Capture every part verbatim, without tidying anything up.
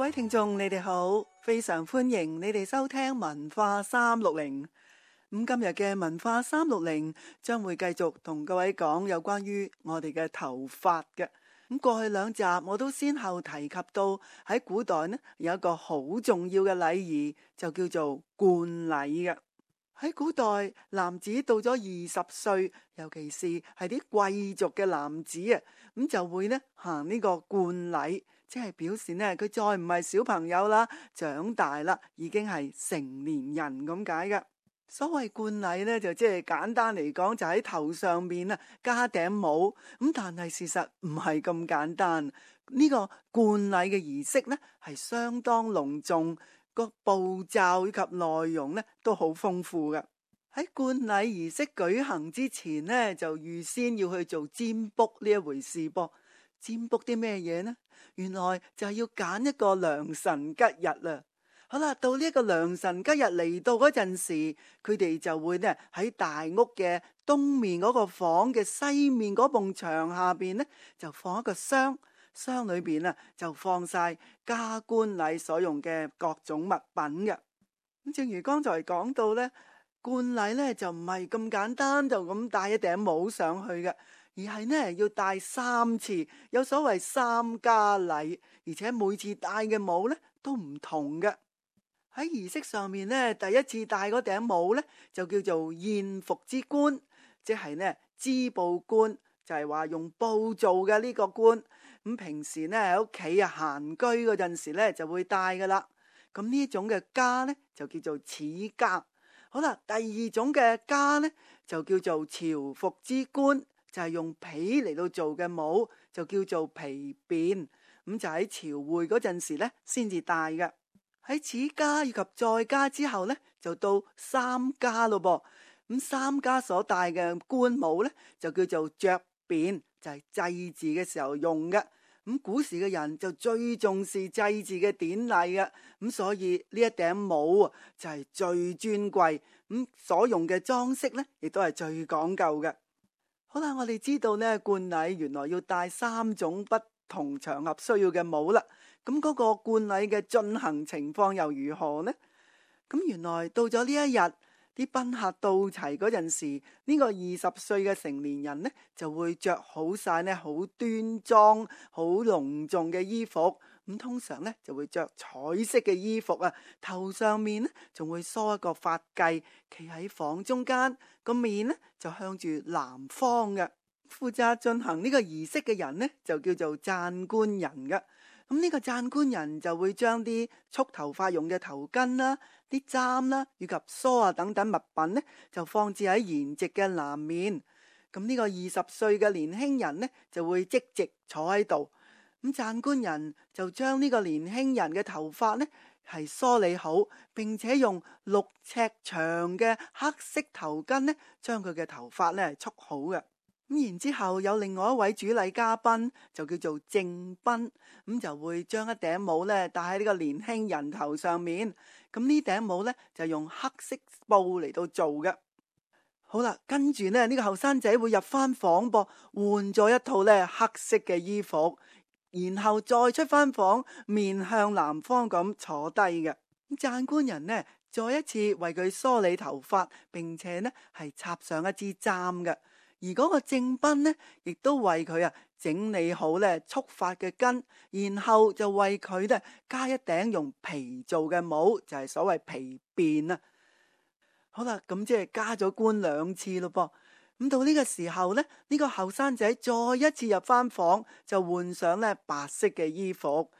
位聽眾，你哋好，非常歡迎你哋收聽文化三六零。咁今日嘅文化三六零將會繼續同各位講有關於我哋嘅頭髮嘅。咁過去兩集我都先後提及到喺古代呢有一個好重要嘅禮儀，就叫做冠禮嘅。喺古代，男子到咗二十歲，尤其是係啲貴族嘅男子啊，咁就會呢行呢個冠禮，即係表示呢佢再唔係小朋友啦，長大啦，已經係成年人咁解嘅。所謂冠禮呢，就即係簡單嚟講，就喺頭上面啊加頂帽。咁但係事實唔係咁簡單，呢個冠禮嘅儀式呢係相當隆重。個步驟以及內容呢都好豐富嘅。喺冠禮儀式舉行之前呢，就預先要去做占卜呢一回事噃。占卜啲咩嘢呢？原來就係要揀一個良辰吉日啦。好啦，到呢一個良辰吉日嚟到嗰陣時，佢哋就會呢喺大屋嘅東面嗰個房嘅西面嗰埲牆下邊呢，就放一個箱。箱裏邊啊，就放晒加冠禮所用嘅各種物品嘅。咁正如剛才講到呢，冠禮呢就唔係咁簡單，就咁戴一頂帽上去嘅，而係呢要戴三次，有所謂三加禮，而且每次戴嘅帽呢都唔同嘅。喺儀式上面呢，第一次戴嗰頂帽呢就叫做燕服之冠，即係呢織布冠，就係話用布做嘅呢個冠。咁平時呢喺屋企啊閒居嗰陣時呢就會戴噶啦。咁呢種嘅枷呢就叫做齒枷。好啦，第二種嘅枷呢就叫做朝服之冠，就係用皮嚟到做嘅帽，就叫做皮辮。咁就喺朝會嗰陣時呢先至戴嘅。喺齒枷以及再枷之後呢，就到三枷咯噃。咁三枷所戴嘅冠帽呢就叫做爵辮，就係祭祀嘅時候用嘅。咁古時嘅人就最重視祭祀嘅典禮嘅，咁所以呢一頂帽啊就係最尊貴，咁所用嘅裝飾呢亦都係最講究嘅。好啦，我哋知道呢冠禮原來要戴三種不同場合需要嘅帽啦。咁嗰個冠禮嘅進行情況又如何呢？咁原來到咗呢一日，啲賓客到齊嗰陣時，呢個二十歲嘅成年人呢就會着好晒呢好端莊、好隆重嘅衣服。咁通常呢就會着彩色嘅衣服啊，頭上面呢仲會梳一個髮髻，企喺房中間，個面呢就向住南方嘅。負責進行呢個儀式嘅人呢就叫做讚官人嘅。咁呢個讚官人就會將啲束頭髮用嘅頭巾啦、啲簪啦以及梳啊等等物品呢，就放置喺筵席嘅南面。咁呢個二十歲嘅年輕人呢，就會即席坐喺度。咁讚官人就將呢個年輕人嘅頭髮呢係梳理好，並且用六尺長嘅黑色頭巾呢，將佢嘅頭髮呢束好嘅。咁然之後有另外一位主禮嘉賓就叫做正賓，咁就會將一頂帽咧戴喺呢個年輕人頭上面。咁呢頂帽咧就用黑色布嚟到做嘅。好啦，跟住咧呢個後生仔會入翻房噃，換咗一套咧黑色嘅衣服，然後再出翻房，面向南方咁坐低嘅。咁讚官人呢再一次為佢梳理頭髮，並且呢係插上一支簪嘅。而嗰個正賓呢，亦都為佢啊整理好咧束髮嘅巾，然後就為佢咧加一頂用皮做嘅帽，就係所謂皮辮啊。好啦，咁即係加咗冠兩次咯噃。咁到呢個時候呢，呢個後生仔再一次入翻房，就換上咧白色嘅衣服，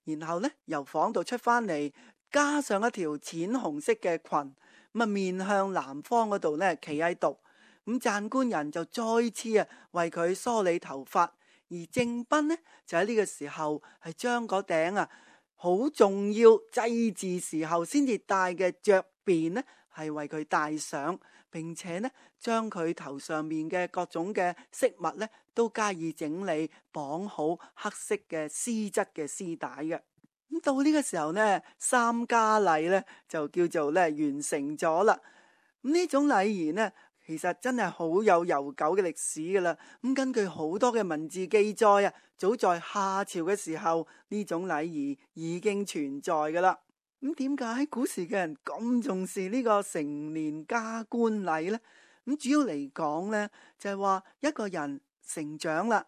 然後呢由房度出翻嚟，加上一條淺紅色嘅裙，咁啊面向南方嗰度咧企喺度。咁讚官人就再次啊為佢梳理頭髮，而正賓呢就喺呢個時候係將嗰頂啊好重要祭祀時候先至戴嘅爵辮呢係為佢戴上，並且呢將佢頭上面嘅各種嘅飾物呢都加以整理，綁好黑色嘅絲質嘅絲帶嘅。咁到呢個時候呢，三加禮呢就叫做咧完成咗啦。咁呢種禮儀呢，其實真係好有悠久嘅歷史噶啦。咁根據好多嘅文字記載啊，早在夏朝嘅時候，呢種禮儀已經存在噶啦。咁點解喺古時嘅人咁重視呢個成年加冠禮呢？咁主要嚟講呢，就係話一個人成長啦，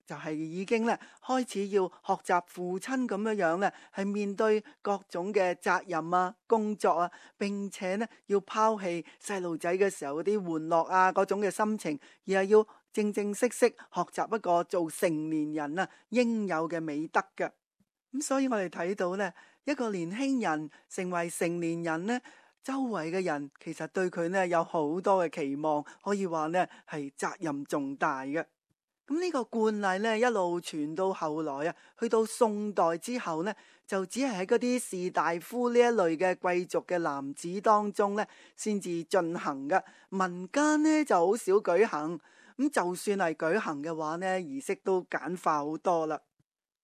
就係已經咧開始要學習父親咁樣樣咧，係面對各種嘅責任啊、工作啊，並且咧要拋棄細路仔嘅時候嗰啲玩樂啊嗰種嘅心情，而係要正正式式學習一個做成年人啊應有嘅美德嘅。咁所以我哋睇到咧，一個年輕人成為成年人咧，周圍嘅人其實對佢咧有好多嘅期望，可以話咧係責任重大嘅。咁呢個慣例咧一路傳到後來啊，去到宋代之後呢，就只係喺嗰啲士大夫呢一類嘅貴族嘅男子當中咧，先至進行嘅。民間呢就好少舉行。咁就算係舉行嘅話呢，儀式都簡化好多啦。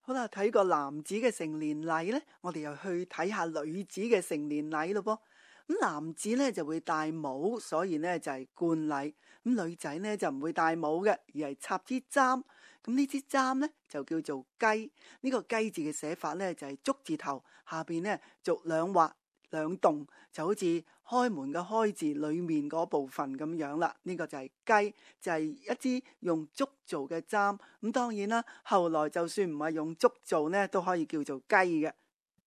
好啦，睇個男子嘅成年禮呢，我哋又去睇下女子嘅成年禮咯噃。咁男子呢就會戴帽，所以呢就係冠禮。咁女仔呢就唔會戴帽嘅，而係插支簪。咁呢支簪呢就叫做雞。呢個雞字嘅寫法呢就係竹字頭，下邊呢逐兩畫兩棟，就好似開門嘅開字裏面嗰部分咁樣啦。呢個就係雞，就係一支用竹做嘅簪。咁當然啦，後來就算唔係用竹做呢，都可以叫做雞嘅。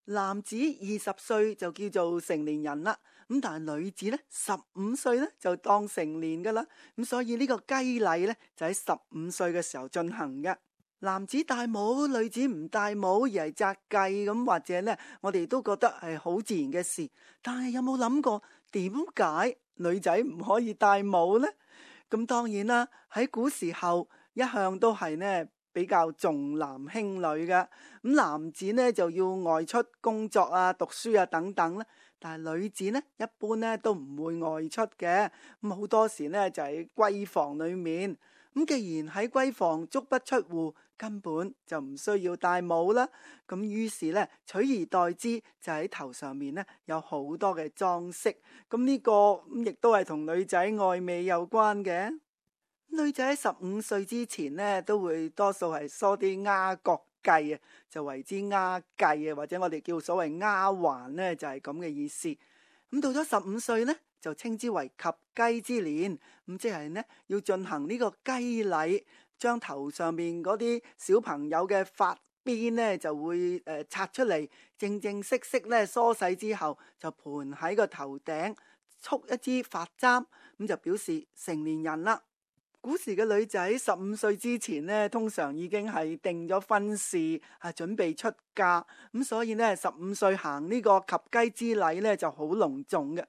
男子二十歲就叫做成年人啦，咁但係女子呢，十五歲呢就當成年噶啦，咁所以呢個雞禮呢，就喺十五歲嘅時候進行嘅。男子戴帽，女子唔戴帽而係紮髻咁，或者呢，我哋都覺得係好自然嘅事。但係有冇諗過點解女仔唔可以戴帽呢？咁當然啦，喺古時候一向都係呢，比較重男輕女嘅。咁男子呢就要外出工作啊、讀書啊等等啦，但係女子呢一般呢都唔會外出嘅，咁好多時呢就喺閨房裏面。咁既然喺閨房足不出戶，根本就唔需要戴帽啦。咁於是呢取而代之就喺頭上面呢有好多嘅裝飾。咁呢個咁亦都係同女仔愛美有關嘅。女仔喺十五歲之前呢，都會多數係梳啲丫角髻啊，就為之丫髻啊，或者我哋叫所謂丫環呢，就係咁嘅意思。咁到咗十五歲呢，就稱之為及笄之年，咁即係呢要進行呢個笄禮，將頭上面嗰啲小朋友嘅髮辮呢就會誒拆出嚟，正正式式呢梳洗之後，就盤喺個頭頂，束一支髮簪，咁就表示成年人啦。古時嘅女仔十五歲之前呢，通常已經係定咗婚事，啊準備出嫁，咁所以呢，十五歲行呢個及笄之禮呢就好隆重嘅。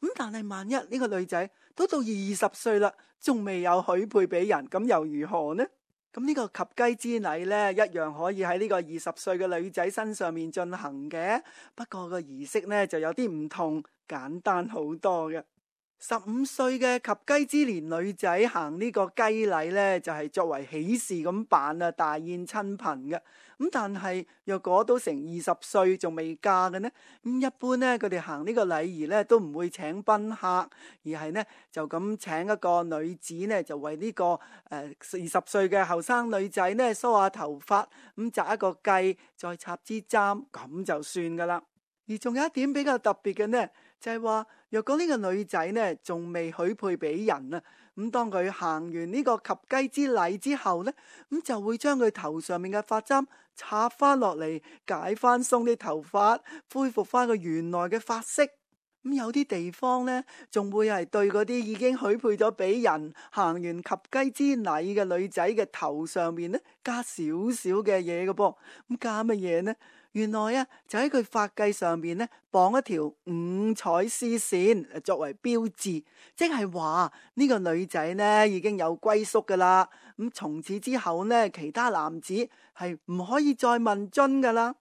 咁但係萬一呢個女仔都到二十歲啦，仲未有許配俾人，咁又如何呢？咁呢個及笄之禮呢，一樣可以喺呢個二十歲嘅女仔身上面進行嘅，不過個儀式呢就有啲唔同，簡單好多嘅。十五歲嘅及笄之年女仔行呢個笄禮呢，就係作為喜事咁辦啊，大宴親朋嘅。咁但係若果都成二十歲仲未嫁嘅呢，咁一般呢，佢哋行呢個禮儀呢，都唔會請賓客，而係呢，就咁請一個女子呢，就為呢個誒二十歲嘅後生女仔呢梳下頭髮，咁紮一個髻，再插支簪，咁就算噶啦。而仲有一點比較特別嘅呢，就係話若果呢個女仔呢仲未許配俾人啊，咁當佢行完呢個及笄之禮之後呢，咁就會將佢頭上面嘅髮簪插翻落嚟，解翻鬆啲頭髮，恢復翻佢原來嘅髮色。咁有啲地方呢，仲會係對嗰啲已經許配咗俾人行完及笄之禮嘅女仔嘅頭上面呢，加少少嘅嘢嘅噃。咁加乜嘢呢？原來啊，就喺佢髮髻上面呢，綁一條五彩絲線作為標誌，即係話呢個女仔呢已經有歸宿噶啦。咁從此之後呢，其他男子係唔可以再問津噶啦。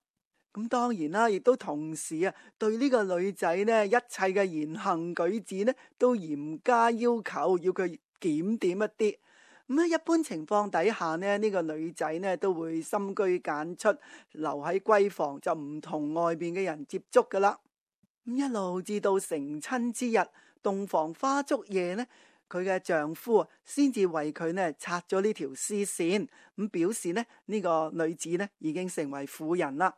咁當然啦，亦都同時啊，對呢個女仔呢一切嘅言行舉止呢，都嚴加要求，要佢檢點一啲。咁喺一般情況底下呢，呢個女仔呢都會深居簡出，留喺閨房，就唔同外邊嘅人接觸噶啦。咁一路至到成親之日，洞房花燭夜呢，佢嘅丈夫先至為佢呢拆咗呢條絲線，咁表示呢呢個女子呢已經成為婦人啦。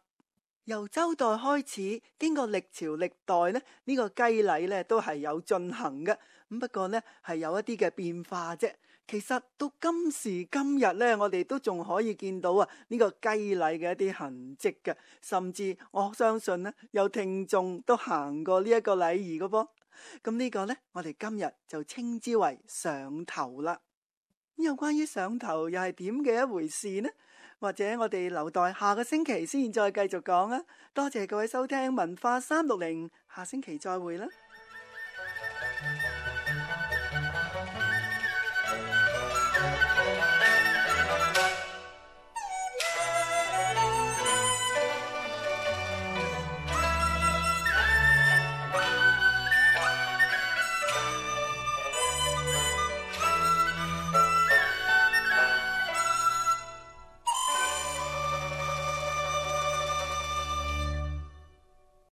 由周代開始，經過歷朝歷代呢，呢個雞禮呢都係有進行嘅，咁不過呢係有一啲嘅變化啫。其實到今時今日呢，我哋都仲可以見到啊呢個雞禮嘅一啲痕跡嘅，甚至我相信呢有聽眾都行過呢一個禮儀嘅噃。咁呢個呢，我哋今日就稱之為上頭啦。有關於上頭又係點嘅一回事呢？或者我哋留待下個星期先再繼續講啊！多謝各位收聽文化三六零，下星期再會啦。